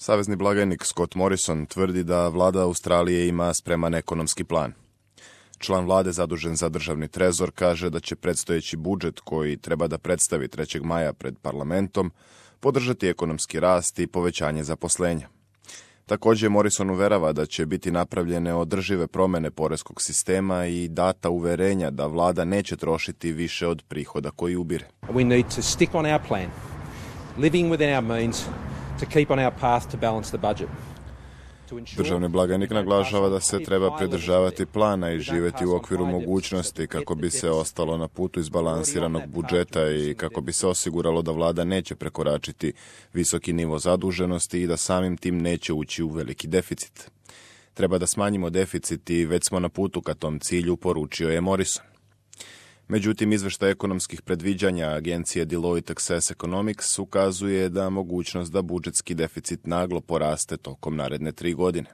Savezni blagajnik Scott Morrison tvrdi da vlada Australije ima spreman ekonomski plan. Član vlade zadužen za državni trezor kaže da će predstojeći budžet koji treba da predstavi 3. maja pred parlamentom podržati ekonomski rast i povećanje zaposlenja. Također Morrison uverava da će biti napravljene održive promjene poreskog sistema i data uverenja da vlada neće trošiti više od prihoda koji ubire. We need to stick on our plan, living within our means to keep on our path to balance the budget. Državni blagajnik naglašava da se treba pridržavati plana i živjeti u okviru mogućnosti kako bi se ostalo na putu izbalansiranog budžeta i kako bi se osiguralo da vlada neće prekoračiti visoki nivo zaduženosti i da samim tim neće ući u veliki deficit. Treba da smanjimo deficit i već smo na putu ka tom cilju, poručio je Morrison. Međutim, izveštaj ekonomskih predviđanja agencije Deloitte Access Economics ukazuje da mogućnost da budžetski deficit naglo poraste tokom naredne 3 godine.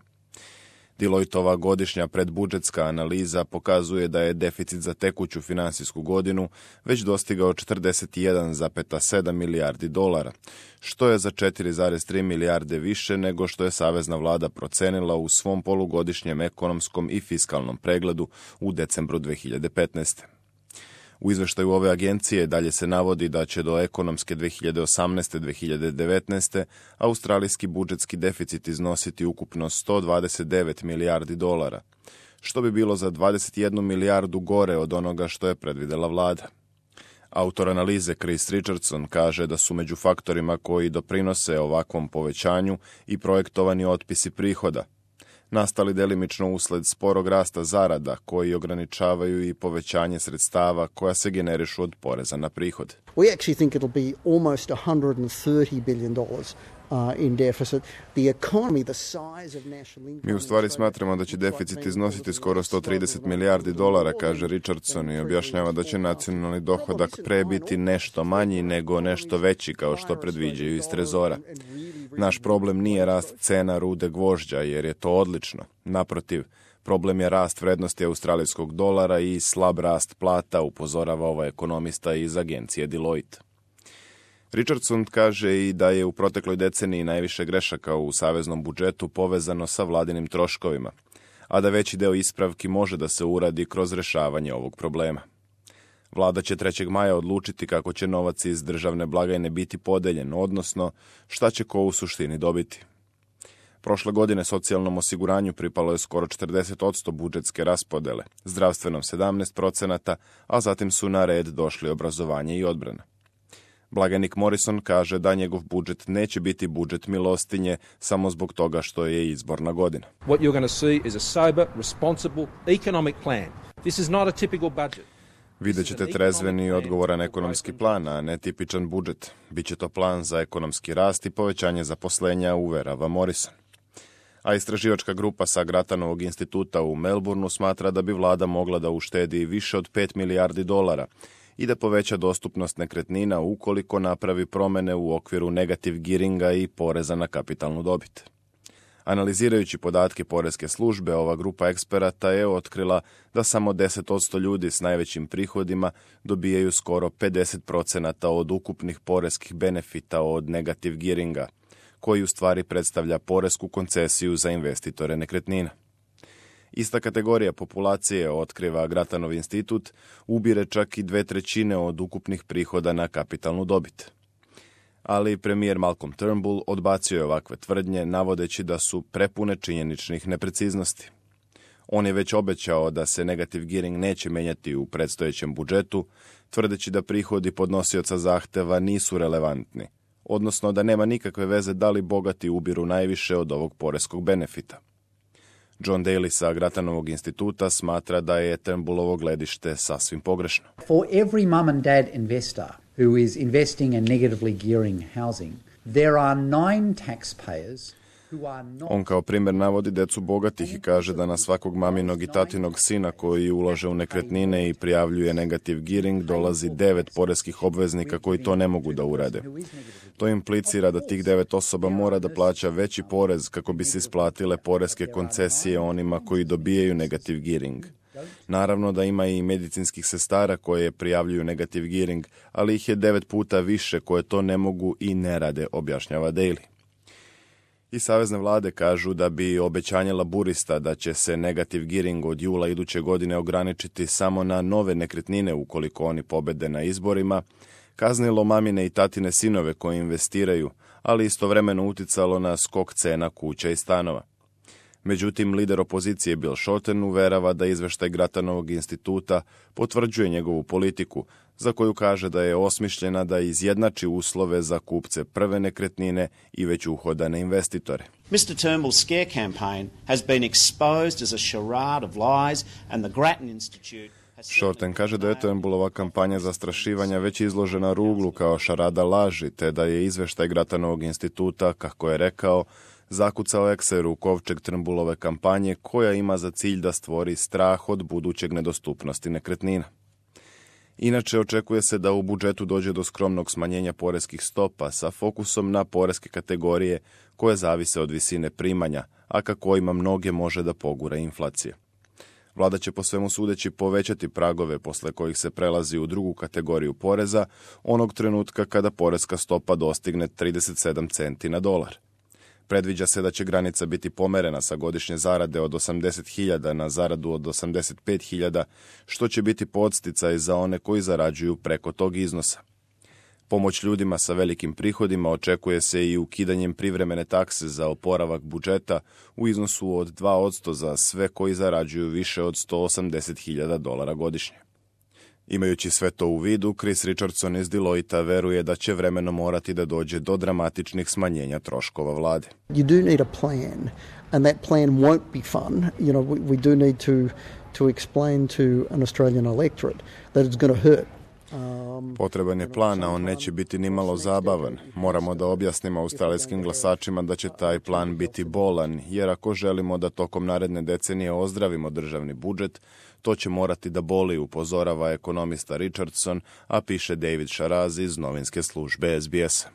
Deloittova godišnja predbudžetska analiza pokazuje da je deficit za tekuću finansijsku godinu već dostigao 41,7 milijardi dolara, što je za 4,3 milijarde više nego što je savezna vlada procenila u svom polugodišnjem ekonomskom i fiskalnom pregledu u decembru 2015. U izveštaju ove agencije dalje se navodi da će do ekonomske 2018-2019. australijski budžetski deficit iznositi ukupno 129 milijardi dolara, što bi bilo za 21 milijardu gore od onoga što je predvidela vlada. Autor analize Chris Richardson kaže da su među faktorima koji doprinose ovakvom povećanju i projektovani otpisi prihoda, nastali delimično usled sporog rasta zarada koji ograničavaju i povećanje sredstava koja se generišu od poreza na prihod. We actually think it'll be almost $130 billion in deficit. The economy, the size of national income. Mi u stvari smatramo da će deficit iznositi skoro 130 milijardi dolara, kaže Richardson, i objašnjava da će nacionalni dohodak pre biti nešto manji nego nešto veći kao što predviđaju iz trezora. Naš problem nije rast cena rude gvožđa, jer je to odlično. Naprotiv, problem je rast vrednosti australijskog dolara i slab rast plata, upozorava ovaj ekonomista iz agencije Deloitte. Richardson kaže i da je u protekloj deceniji najviše grešaka u saveznom budžetu povezano sa vladinim troškovima, a da veći deo ispravki može da se uradi kroz rešavanje ovog problema. Vlada će 3. maja odlučiti kako će novac iz državne blagajne biti podeljen, odnosno šta će ko u suštini dobiti. Prošle godine socijalnom osiguranju pripalo je skoro 40% budžetske raspodele, zdravstvenom 17%, a zatim su na red došli obrazovanje i odbrana. Blagajnik Morrison kaže da njegov budžet neće biti budžet milostinje samo zbog toga što je izborna godina. What you're going to see is a sober, responsible economic plan. This is not a typical budget. Vidjet ćete trezven i odgovoran ekonomski plan, a ne tipičan budžet. Biće to plan za ekonomski rast i povećanje zaposlenja, uverava Morrison. A istraživačka grupa sa Gratanovog instituta u Melbourneu smatra da bi vlada mogla da uštedi više od 5 milijardi dolara i da poveća dostupnost nekretnina ukoliko napravi promene u okviru negative gearinga i poreza na kapitalnu dobit. Analizirajući podatke poreske službe, ova grupa eksperata je otkrila da samo 10% ljudi s najvećim prihodima dobijaju skoro 50% od ukupnih poreskih benefita od negative gearinga, koji u stvari predstavlja poresku koncesiju za investitore nekretnina. Ista kategorija populacije, otkriva Gratanov institut, ubire čak i 2/3 od ukupnih prihoda na kapitalnu dobit. Ali premijer Malcolm Turnbull odbacio je ovakve tvrdnje, navodeći da su prepune činjeničnih nepreciznosti. On je već obećao da se negative gearing neće menjati u predstojećem budžetu, tvrdeći da prihodi podnosioca zahteva nisu relevantni, odnosno da nema nikakve veze da li bogati ubiru najviše od ovog poreskog benefita. John Daly sa Gratanovog instituta smatra da je Turnbullovo gledište sasvim pogrešno. For every mum and dad investor who is investing in negatively gearing housing, there are 9 taxpayers who are not... On kao primjer navodi decu bogatih i kaže da na svakog maminog i tatinog sina koji ulaže u nekretnine i prijavljuje negative gearing dolazi 9 poreskih obveznika koji to ne mogu da urade. To implicira da tih 9 osoba mora da plaća veći porez kako bi se isplatile poreske koncesije onima koji dobijaju negative gearing. Naravno da ima i medicinskih sestara koje prijavljuju negative gearing, ali ih je 9 puta više koje to ne mogu i ne rade, objašnjava Daly. I savezne vlade kažu da bi obećanje laburista da će se negative gearing od jula iduće godine ograničiti samo na nove nekretnine ukoliko oni pobede na izborima, kaznilo mamine i tatine sinove koji investiraju, ali istovremeno uticalo na skok cena kuća i stanova. Međutim, lider opozicije Bill Shorten uverava da izveštaj Gratanovog instituta potvrđuje njegovu politiku, za koju kaže da je osmišljena da izjednači uslove za kupce prve nekretnine i već uhodane investitore. Mr. Turnbull's scare campaign has been exposed as a charade of lies and the Grattan Institute. Shorten kaže da je Turnbullova kampanja zastrašivanja već izložena ruglu kao šarada laži, te da je izveštaj Gratanovog instituta, kako je rekao, zakucao ekser u kovčeg Turnbullove kampanje koja ima za cilj da stvori strah od budućeg nedostupnosti nekretnina. Inače, očekuje se da u budžetu dođe do skromnog smanjenja poreskih stopa sa fokusom na poreske kategorije koje zavise od visine primanja, a ka kojima mnoge može da pogura inflacija. Vlada će po svemu sudeći povećati pragove posle kojih se prelazi u drugu kategoriju poreza onog trenutka kada poreska stopa dostigne 37 centi na dolar. Predviđa se da će granica biti pomerena sa godišnje zarade od 80.000 na zaradu od 85.000, što će biti podsticaj za one koji zarađuju preko tog iznosa. Pomoć ljudima sa velikim prihodima očekuje se i ukidanjem privremene takse za oporavak budžeta u iznosu od 2% za sve koji zarađuju više od $180.000 godišnje. Imajući sve to u vidu, Chris Richardson iz Deloitta veruje da će vremenom morati da dođe do dramatičnih smanjenja troškova vlade. You do need a plan, and that plan won't be fun. You know, we do need to explain to an Australian electorate that it's going to hurt. Potreban je plan, a on neće biti nimalo zabavan. Moramo da objasnimo australijskim glasačima da će taj plan biti bolan, jer ako želimo da tokom naredne decenije ozdravimo državni budžet, to će morati da boli, upozorava ekonomista Richardson, a piše David Sharaz iz novinske službe SBS.